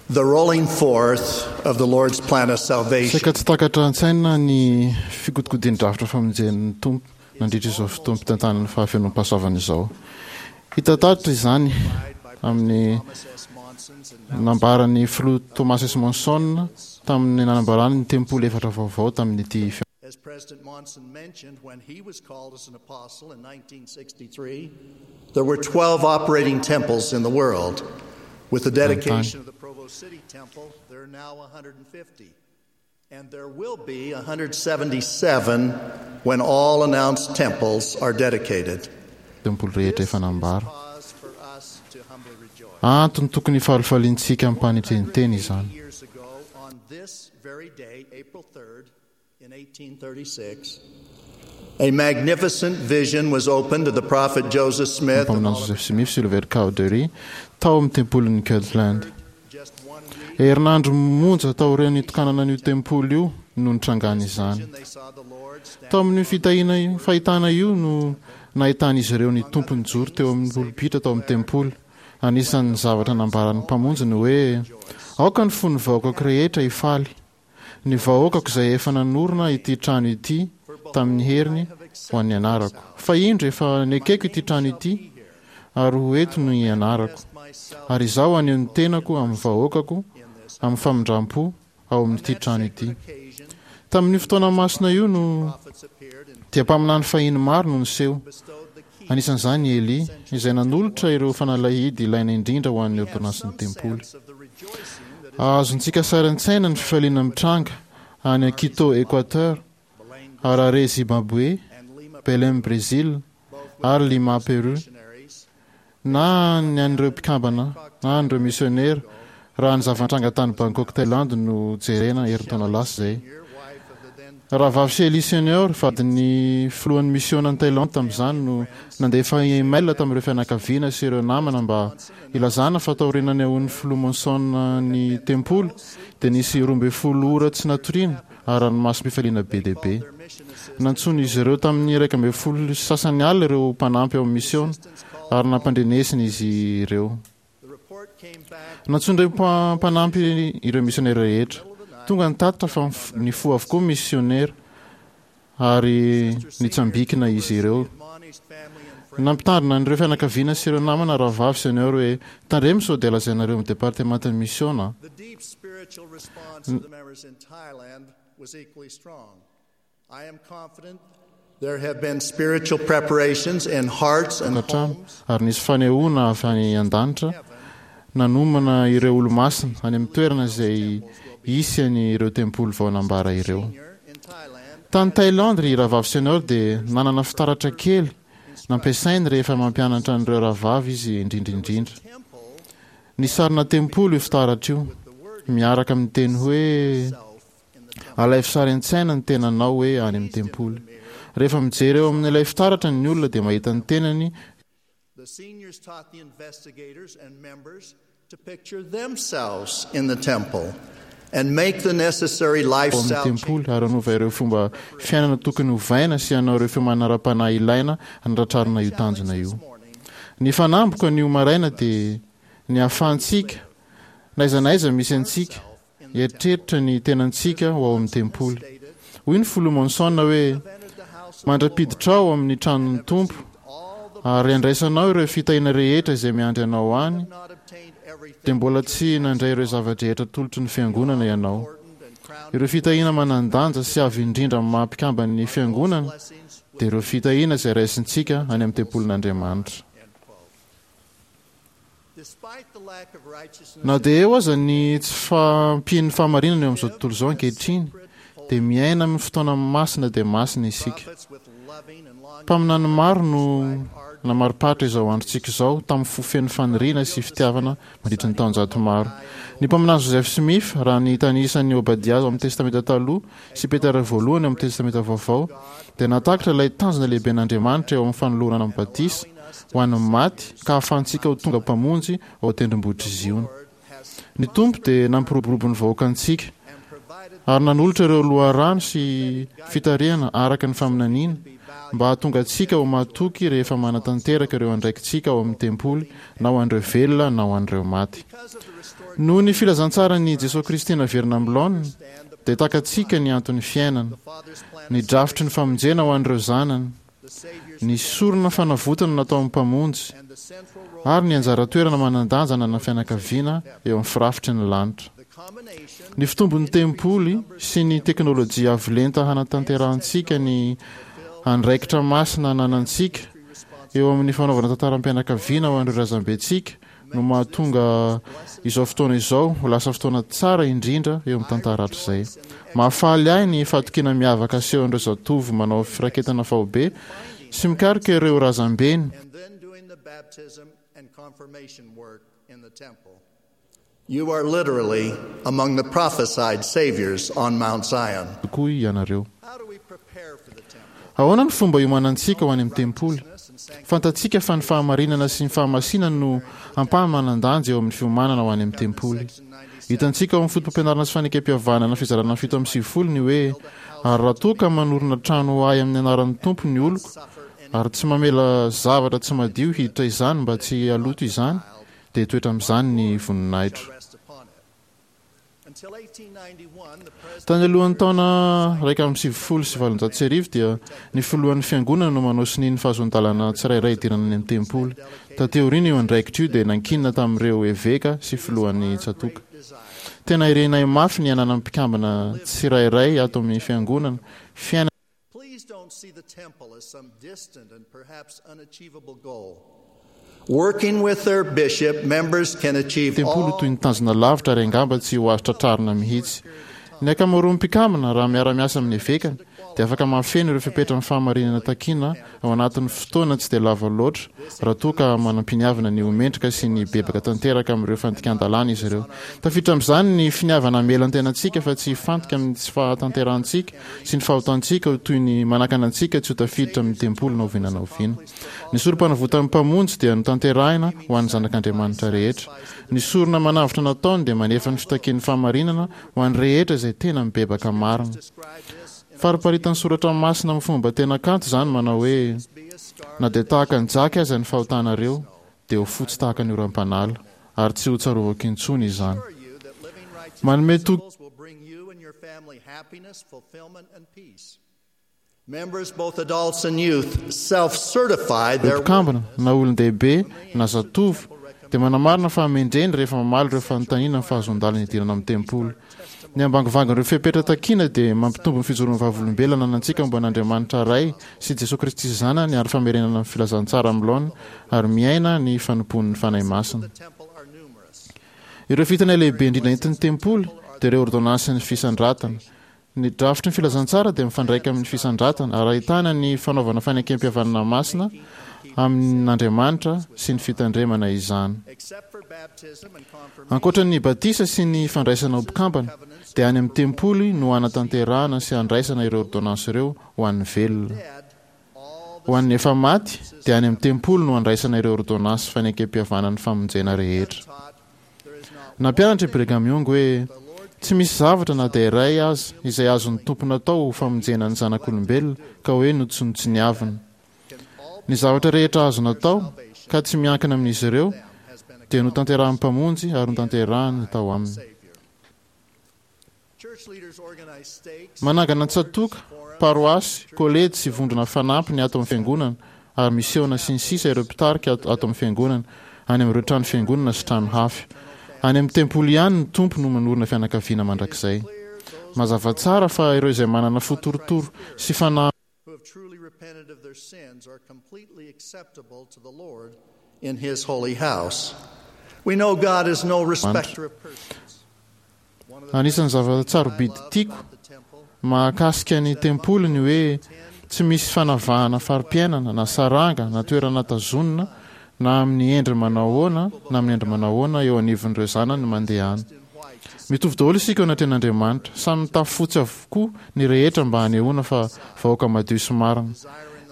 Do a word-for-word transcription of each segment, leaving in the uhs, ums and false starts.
The rolling forth of the Lord's plan of salvation. Saika tsy takatra an-tsaina ny fikodikodian'ny drafitra famonjen'ny Tompo nandritra izao fotoam-pitantanan'ny fahafenoam-pahasoavana izao. Hita taratra izany amin'ny nambaran'ny filoha Thomas S. Monson tamin'ny nanambarany ny tempoly efatra vaovao tamin'ity As President Monson mentioned, when he was called as an apostle in nineteen sixty-three, there were twelve operating temples in the world. With the dedication of the Provo City Temple, there are now a hundred and fifty. And there will be a hundred seventy-seven when all announced temples are dedicated. Tempoly rehetra efa nambara. Antony tokony hifalifaliantsika amim-panetren-tena izany. Years ago, on this very day, April third, in eighteen thirty-six, a magnificent vision was opened to the prophet Joseph Smith and Mpaminany Joseph Smith sy Oliver Cowdery tao amin'ny tempolin'i Kirtland. Herinandro monja taorian'ny nitokanana an'io tempoly io no nitrangana izany. Tao amin'io fitahiana io, fahitana io no nahitan'izy ireo ny Tompo nijoro teo amin'ny polipitra tao amin'ny tempoly. Anisan'ny zavatra nambaran'ny Mpamonjy ny hoe: aoka ny fon'ny vahoakako rehetra hifaly. Ny vahoakako izay efa nanorina ity trano ity tamin'ny heriny ho an'ny anarako. Fa indro efa nekeko ity trano ity ary ho eto no ianarako. Ary izaho haneho ny tenako amin'ny vahoakako amin'ny famindram-po ao amin'ity trano ity. Tamin'io fotoana masina io no dia mpaminany fahiny maro no niseho. Anisan'izany i Elia, izay nanolotra ireo fanalahidy ilaina indrindra ho an'ny ordonansin'ny tempoly. Azontsika sary an-tsaina ny fifaliana mitranga any Quito, Équateur, Harare, Zimbabwe, Belém, Brésil, ary Lima, Peru, na ny an'ireo mpikambana na an'ireo misionera, raha ny zava-nitranga tany Bangkok, Thaïlande no jerena herintaona lasa izay. Rahavavy Shelley Senior, vadin'ny filohan'ny misiona any Thaïlande tamin'izany, no nandefa email tamin'ireo fianakaviana sy ireo namana mba ilazana fa taoriana nanehoan'ny filoha Monson ny tempoly dia nisy roa ambin'ny folo ora tsy natoriana ary ranomasom-pifaliana be dia be. Nantsoin'izy ireo tamin'ny iraika ambin'ny folo sy sasany alina ireo mpanampy ao amin'ny misiona ary nampandrenesina izy ireo. Nantsoin'ireo mpa-, mpanampy ireo misionera rehetra. Tonga ny tatitra fa nifoha avokoa ny misionera ary nitsambikina izy ireo. Nampitandrina an'ireo fianakaviana sy ireo namana rahavavy Senior hoe tandremo sao dia lazainareo amin'ny departemantan'ny misiona. The deep spiritual response of the members in Thailand was equally strong. I am confident there have been spiritual preparations in hearts and Tokantrano, homes. ary nisy fanehoana avy any an-danitra nanomana ireo olo-masina any amin'ny toerana izay hisy an'ireo tempoly vao nambara ireo. Tany Thaïlande, ry rahavavy Senior dia nanana fitaratra kely nampiasainy rehefa mampianatra an'ireo rahavavy izy indrindra indrindra. Ny sarina tempoly io fitaratra io, miaraka amin'ny teny hoe alaivo sary an-tsaina ny tenanao hoe any amin'ny tempoly. Rehefa mijery eo amin'ilay fitaratra ny olona dia mahita ny tenany. The seniors taught the investigators and members to picture themselves in the temple and make the necessary ao amin'ny lifestyle tempoly ary hanova ireo fomba fiainana tokony hovaina sy hanao ireo fiomanana ara-panahy ilaina hanatratrarana io tanjona io. Ny fanamboka ny maraina dia ny ahafahantsika na aiza na aiza misy antsika hieritreritra ny tenantsika ho ao amin'ny tempoly. Hoy ny filoha Monson hoe mandra-piditra ao amin'ny tranon'ny Tompo ary andraisanao ireo fitahiana rehetra izay miandry anao any, dia mbola tsy nandray ireo zava-drehetra atolotry ny fiangonana ianao. Ireo fitahiana manan-danja sy avy indrindra amin'ny maha mpikamban'ny fiangonana dia ireo fitahiana izay raisintsika any amin'ny tempolin'Andriamanitra. Na dia eo aza ny tsy fahampian'ny fahamarinana eo amin'izao tontolo izao ankehitriny, dia miaina amin'ny fotoana masina dia masina isika. Mpaminany maro no namariparitra izao androntsika izao tamin'ny fo feno faniriana sy fitiavana mandritra ny taonjato maro. Ny mpaminany Joseph Smith, raha ny tanisan'ny Obadia ao amin'ny Testamenta Taloha sy Petera voalohany ao amin'ny Testamenta Vaovao, dia nahatakatra ilay tanjona lehiben'Andriamanitra eo amin'ny fanolorana amin'ny batisa ho an'ny maty ka ahafahantsika ho tonga mpamonjy ao an-tendrombohitr'i Ziona. Ny Tompo dia nampiroborobo ny vahoakantsika ary nanolotra ireo loharano sy fitarihana araka ny faminaniana mba hahatonga antsika ho mahatoky rehefa manatanteraka ireo andraikitsika ao amin'ny tempoly, na ho an'ireo velona na ho an'ireo maty. Noho ny filazantsaran'i Jesoa Kristy naverina amin'ny laoniny, dia takatsika ny anton'ny fiainana, ny drafitry ny famonjena ho an'ireo zanany, ny sorona fanavotana nataon'ny Mpamonjy, ary ny anjara toerana manan-danja ananan'ny fianakaviana eo amin'ny firafitry ny lanitra. Ny fitombon'ny tempoly sy ny teknôlôjia avo lenta hanatanterahantsika ny andraikitra masina ananantsika eo amin'ny fanaovana tantaram-pianakaviana ho an'ireo razambentsika no mahatonga izao fotoana izao ho lasa fotoana tsara indrindra eo amin'ny tantara hatrizay. Mahafaly ahy ny fahatokiana miavaka asehon'ireo zatovo manao firaketana faobe sy mikaroka ireo razambeny. And then doing the baptism and confirmation work in the temple. You are literally among the prophesied saviors on Mount Zion. Tokoa ianareo. How do we prepare for the temple? Ahoana ny fomba iomanantsika ho any amin'ny tempoly? Fantatsika fa ny fahamarinana sy ny fahamasinana no ampahamanan-danja eo amin'ny fiomanana ho any amin'ny tempoly. Hitantsika ao amin'ny foto-pampianarana sy fanekempihavanana fizarana fito amby sivifolo ny hoe ary raha toa ka manorina trano ho ahy amin'ny anaran'ny Tompo ny oloko ary tsy mamela zavatra tsy madio hiditra izany mba tsy haloto izany, dia hitoetra amin'izany ny voninahitro. Rest upon it. Until eighteen ninety-one, the president Tany alohan'ny taona iraika amby sivifolo sy valonjato sy arivo dia ny filohan'ny fiangonana no manao sonia ny fahazoan-dalana tsirairay hidirana any amin'ny tempoly. Taty aoriana io andraikitra io dia nankinina tamin'ireo eveka sy filohan'ny tsatoka. Tena irinay mafy ny hananan'ny mpikambana tsirairay ato amin'ny fiangonana fiainana Please don't see the temple as some distant and perhaps unachievable goal. Working with their bishop, members can achieve tempoly all toy ny tanjona lavitra ary angamba tsy ho azo tratrarina mihitsy. Ny ankamaroan'ny mpikambana raha miara-miasa amin'ny evekany dia afaka mahafeno ireo fepetra amin'ny fahamarinana takiana ao anatin'ny fotoana tsy dia lava loatra raha toa ka manam-piniavana ny ho mendrika sy ny bebaka tanteraka amin'ireo fandikan-dalàna izy ireo. Tafiditra amin'izany ny finiavana hamela ny tenantsika fa tsy hifantoka amin'ny tsy fahatanterahantsika sy ny fahotantsika ho toy ny manakana antsika tsy ho tafiditra amin'ny tempoly na oviana na oviana. Ny sorom-panavotan'ny Mpamonjy dia notanterahina ho an'ny zanak'Andriamanitra rehetra. Ny sorona manavotra nataony dia manefa ny fitakian'ny fahamarinana ho an'ny rehetra izay tena mibebaka marina. Fariparitan'ny soratra masina amin'ny fomba tena kanto izany manao hoe na dia tahaka ny jaky aza ny fahotanareo dia ho fotsy tahaka ny oram-panala ary tsy ho tsarovako intsony izany. assure you that living righteous Manome toky principles will bring you and your family happiness, fulfillment, and peace. Members, both adults and youth, self-certify their mpikambana na olon-dehibe na zatovo dia manamarina fa hamendreny rehefa mamaly ireo fanontaniana ny fahazoan-dalana hidirana amin'ny tempoly. Ny ambangovangan'ireo fepetra takiana dia mampitombo ny fijoroan'ny vavolombelona ananantsika momba an'Andriamanitra Ray sy Jesoa Kristy Zanany ary famerenana ny filazantsara amin'ny laoniny ary miaina ny fanompoan'ny Fanahy Masina. the temple are numerous. Ireo fitana lehibe indrindra entin'ny tempoly dia ireo ordonansin'ny fisandratana. Ny drafitry ny filazantsara dia mifandraika amin'ny fisandratana ary ahitana ny fanaovana fanekempihavanana masina amin'Andriamanitra sy ny fitandremana izany. Except for baptism and confirmation, Ankoatra ny batisa sy ny fandraisana ho mpikambana dia any amin'ny tempoly no hanatanterahana sy handraisana ireo ordonansa ireo ho an'ny velona. dead, all the Ho an'ny efa maty dia any amin'ny tempoly no handraisana ireo ordonansa fanekempihavanan'ny famonjena rehetra. taught there is not Nampianatra i Brigham Young hoe tsy misy zavatra na dia iray aza izay azon'ny Tompo natao ho famonjena ny zanak'olombelona ka hoe notsinontsiniavina. can all Ny zavatra rehetra azo natao ka tsy miankina amin'izy ireo has been dia notanterahan'ny Mpamonjy ary notanterahany tao aminy. Savior. Church leaders organize stakes, Manangana tsatoka, paroasy, kolejy sy vondrona fanampiny ato amin'ny fiangonana ary misiona sy ny sisa ireo mpitarika ato ato amin'ny fiangonana any amin'ireo trano fiangonana sy trano hafa. Any amin'ny tempoly ihany ny Tompo no manorina fianakaviana mandrakizay. Mazava tsara fa ireo izay manana fo torotoro sy fanahy who have truly repented of their sins are completely acceptable to the Lord in His holy house. We know God is no respecter of persons. One of the Anisan'ny things I zava-tsarobidy love tiako about the temple mahakasika ny tempoly ny hoe tsy misy fanavahana fari-piainana na saranga na toerana tazonina na amin'ny endriny manao ahoana na amin'ny endriny manao ahoana eo anivon'ireo zanany mandeha any. in white to Mitovy daholo isika eo anatrehan'Andriamanitra. Samy mitafy fotsy avokoa ny rehetra mba hanehoana fa vahoaka madio sy marina.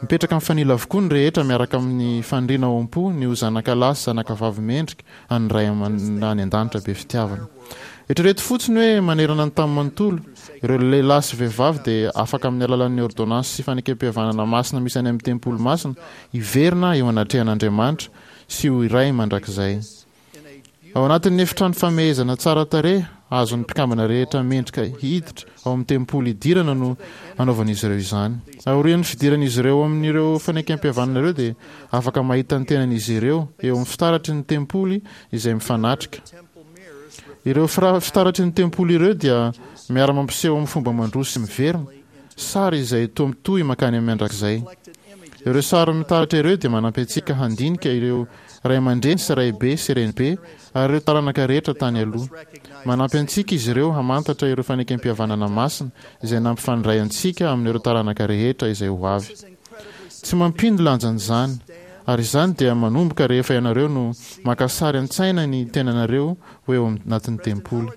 Mipetraka mifanila avokoa ny rehetra miaraka amin'ny faniriana ao am-po ny ho zanaka lahy sy zanaka vavy mendrika an'ny Ray aman- any an-danitra be fitiavana. Eritrereto fotsiny hoe manerana ny tany manontolo, ireo lehilahy sy vehivavy dia afaka amin'ny alalan'ny ôrdônansy sy fanekempihavanana masina misy any amin'ny tempoly masina hiverina eo anatrehan'Andriamanitra sy ho iray mandrakizay. Ao anatin'ny efitrano famehezana tsara tarehy azon'ny mpikambana rehetra mendrika hiditra ao amin'ny tempoly hidirana no anaovan'izy ireo izany. Aorian'ny fidiran'izy ireo amin'ireo fanekempihavanana ireo dia afaka mahita ny tenan'izy ireo eo amin'ny fitaratry ny tempoly izay mifanatrika. Ireo fitaratry ny tempoly ireo dia miara-mampiseho amin'ny fomba mandroso sy miverina, sary izay toa mitohy mankany amin'ny mandrakizay. Ireo sary mitaratra ireo dia manampy antsika handinika ireo ray aman-dreny sy raibe sy renibe ary ireo taranaka rehetra tany aloha. Manampy antsika izy ireo hamantatra ireo fanekempihavanana masina izay nampifandray antsika amin'ireo taranaka rehetra izay ho avy. Tsy mampino lanjan'izany, ary izany dia manomboka rehefa ianareo no maka sary an-tsaina ny tenanareo ho eo anatin'ny tempoly.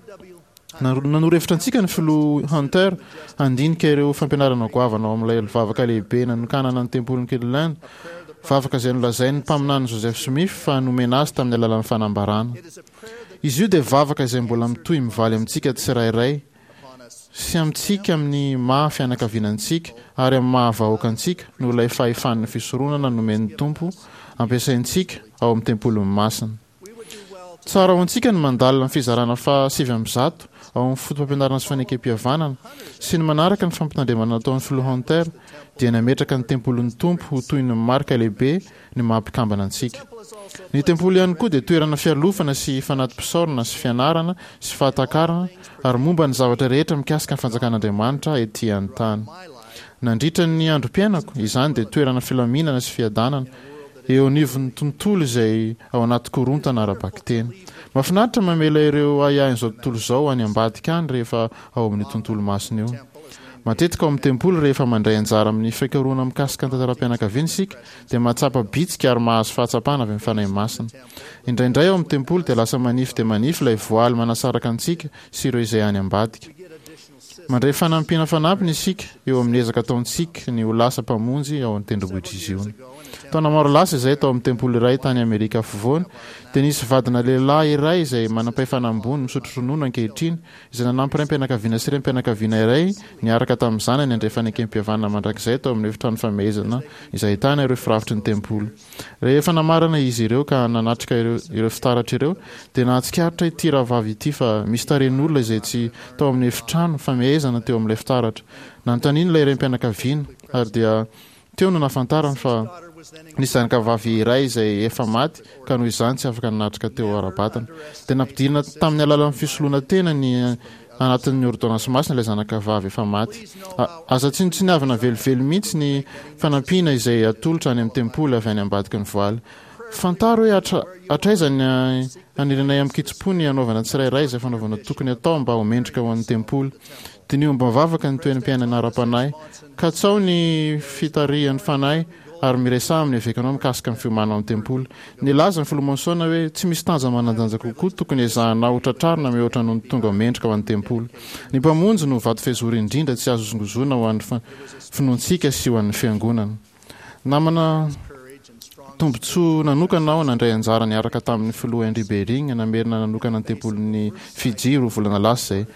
Nanoro hevitra antsika ny filoha Hunter handinika ireo fampianarana goavana ao amin'ilay vavaka lehibe nanokanana ny tempolin'i Kirtland, vavaka izay nolazain'ny mpaminany Joseph Smith fa nomena azy tamin'ny alalan'ny fanambarana. Izy io dia vavaka izay mbola mitohy mivaly amintsika tsirairay sy amintsika amin'ny maha fianakaviana antsika ary amin'ny maha vahoaka antsika noho ilay fahefan'ny fisoronana nomen'ny Tompo ampiasaintsika ao amin'ny tempoliny masina. Tsara ho antsika ny mandalina ny fizarana faha sivy amby zato ao amin'ny foto-pampianarana sy fanekempihavanana sy ny manaraka ny fampitandremana nataon'ny filoha Hunter dia nametraka ny tempolin'ny Tompo ho toy ny marika lehibe ny maha mpikambana antsika. Ny tempoly ihany koa dia toerana fialofana sy fanati-pisaorana sy fianarana sy fahatakarana ary momba ny zavatra rehetra mikasika ny fanjakan'Andriamanitra ety an-tany. Nandritra ny androm-piainako, izany dia toerana filaminana sy fiadanana eo anivon'ny tontolo izay ao anaty korontana ara-bakiteny. Mahafinaritra mamela ireo ahiahin'izao tontolo izao any ambadika any rehefa ao amin'io tontolo masina io. Matetika ao amin'ny tempoly rehefa mandray anjara amin'ny fikarohana mikasika ny tantaram-pianakaviana isika dia mahatsapa bitsika ary mahazo fahatsapana avy amin'ny Fanahy Masina. Indraindray ao amin'ny tempoly dia lasa manify dia manify ilay voaly manasaraka antsika sy ireo izay any ambadika. Mandray fanampiana fanampiny isika eo amin'ny ezaka ataontsika ny ho lasa mpamonjy ao an-tendrombohitr'i Ziona. Taona maro lasa izay tao amin'ny tempoly iray tany Amerika Afovoany dia nisy vadina lehilahy iray izay manam-pahefana ambony misotro ronono ankehitriny izay nanampy raim-pianakaviana sy renim-pianakaviana iray niaraka tamin'ny zanany handray fanekempihavanana mandrakizay tao amin'ny efitrano famehezana izay ahitana ireo firafitry ny tempoly. Rehefa namarana izy ireo ka nanatrika ireo ireo fitaratra ireo dia nahatsikaritra ity rahavavy ity fa misy tarehin'olona izay tsy tao amin'ny efitrano famehezana teo amin'ilay fitaratra. Nanontaniany ilay raim-pianakaviana ary dia teo no nahafantarany fa nisy zanakavavy iray izay efa maty ka noho izany tsy afaka nanatrika teo ara-batana. Dia nampidirina tamin'ny alalan'ny fisoloana tena ny anatin'ny ôrdônansy masina ilay zanakavavy efa maty. Aza tsinontsiniavina velively mihitsy ny fanampiana izay atolotra any amin'ny tempoly avy any ambadiky ny voaly. Fantaro hoe hatra, hatraiza ny hanirinay amin-kitsim-po ny hanaovana tsirairay izay fanaovana tokony atao mba ho mendrika ho an'ny tempoly. Diniho am-bavaka ny toeram-piainana ara-panahy. Katsaho ny fitarihan'ny Fanahy ary miresaha amin'ny evekanao mikasika ny fiomanana ao amin'ny tempoly. Nilaza ny filoha Monson hoe tsy misy tanjona manan-danja kokoa tokony ezahanao ho tratrarina mihoatra noho ny tonga mendrika ho an'ny tempoly. Ny Mpamonjy no vato fehizoro indrindra tsy azo hozongozonina ho an'ny finoantsika sy ho an'ny Fiangonana. Namana tombontsoa nanokana aho nandray anjara niaraka tamin'ny filoha Henry Bering namerina nanokana ny tempolin'i Fidji roa volana lasa izay.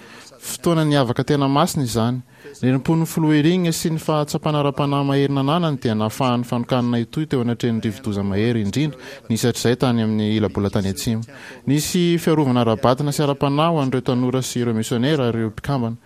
Fotoana niavaka tena masina izany. Ny herim-pon'ny filoha Eyring sy ny fahatsapana ara-panahy mahery nananany dia nahafahan'ny fanokanana hitohy teo anatrehan'ny rivo-doza mahery indrindra nisy hatrizay tany amin'ny ila-bolantany atsimo. Nisy fiarovana ara-batana sy ara-panahy ho an'ireo tanora sy ireo misionera ary ireo mpikambana.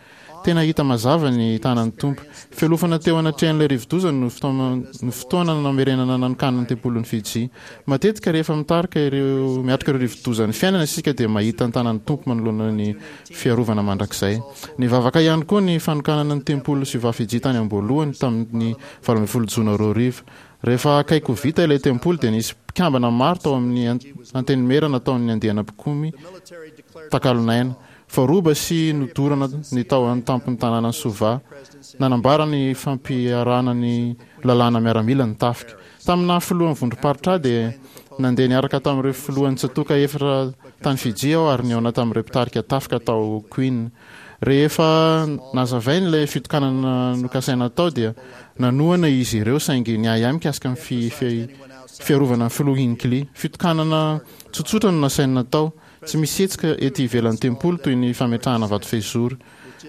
Tena hita mazava ny tanan'ny Tompo. Fialofana teo anatrehan'ilay rivo-doza no fotoana namerenana nanokanana ny tempolin'i Fidji. Matetika rehefa mitarika ireo miatrika ireo rivo-dozan'ny fiainana isika dia mahita ny tanan'ny Tompo manoloana ny fiarovana mandrakizay. Nivavaka ihany koa ny fanokanana ny tempolin'i Suva Fidji tany am-boalohany tamin'ny valo ambin'ny folo jona roa arivo. Rehefa akaiky ho vita ilay tempoly dia nisy mpikambana maro tao amin'ny antenimiera nataon'ny andiana mpikomy takalon'aina. Voaroba sy nodorana ny tao an-tampon'ny tanànan'i Suva. Nanambara ny fampiharana ny lalàna miaramila ny tafika. Tamin'ny naha filohan'ny vondrom-paritra ahy dia nandeha niaraka tamin'ireo filohan'ny tsatòka efatra tany Fidji aho ary nihaona tamin'ireo mpitarika tafika tao Queen. Rehefa nazavainy ilay fitokanana nokasaina hatao dia nanohana izy ireo saingy niahiahy mikasika ny fiarovana ny filoha Hinckley. Fitokanana tsotsotra no nasainy natao. Tsy misy hetsika ety ivelan'ny tempoly toy ny fametrahana vato fehizoro.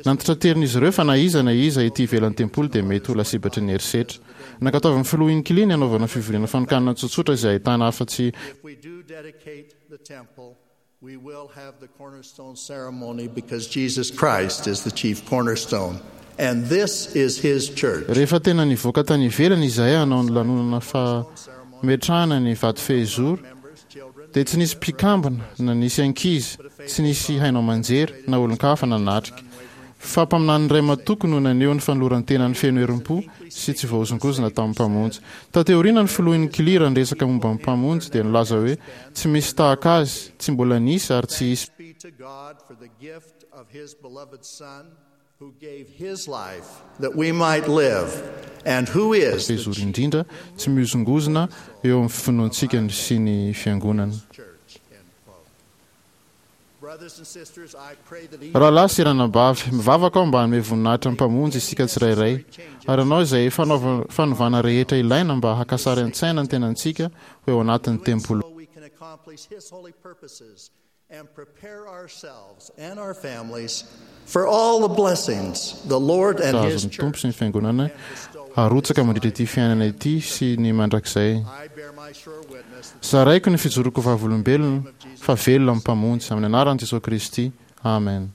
Nantitraterin'izy ireo fa na iza na iza ety ivelan'ny tempoly dia mety ho lasibatry ny herisetra. Nankatoavin'ny filoha Hinckley ny hanaovana fivoriana fanokanana tsotsotra izay ahitana afa-tsy If we do dedicate the temple, we will have the cornerstone ceremony because Jesus Christ is the chief cornerstone. And this is his church. Rehefa tena nivoaka tany ivelany izahay hanao ny lanonana fametrahana ny vato fehizoro Members, children, dia tsy nisy mpikambana na nisy ankizy, tsy nisy haino aman-jery na olon-kafa nanatrika. Fa mpaminany iray matoky no naneho ny fanoloran-tenany feno herim-po sy tsy voahozongozona tamin'ny Mpamonjy. Taty aoriana ny filoha Hinckley raha niresaka momba ny Mpamonjy dia nilaza hoe tsy misy tahaka azy, tsy mbola nisy ary tsy hisy. Thanks be to God for the gift of his beloved Son who gave his life that we might live and who is the Fehizoro indrindra tsy mihozongozona eo amin'ny finoantsika sy ny fiangonana. church. End quote. Brothers and sisters, I pray that each Rahalahy sy ranabavy, mivavaka aho mba hanome voninahitra ny Mpamonjy isika tsirairay ary hanao izay fanaova- fanovana rehetra ilaina mba haka sary an-tsaina ny tenantsika ho eo anatin'ny tempoly. so we can accomplish his holy purposes and prepare ourselves and our families for all the blessings the Lord and his Azon'ny Tompo church. sy ny fiangonana harotsaka mandritra ity fiainana ity sy ny mandrakizay. I bear my sure witness that Zaraiko ny fijoroako vavolombelona fa velona amin'ny Mpamonjy amin'ny anaran'i Jesosy Kristy. Amen.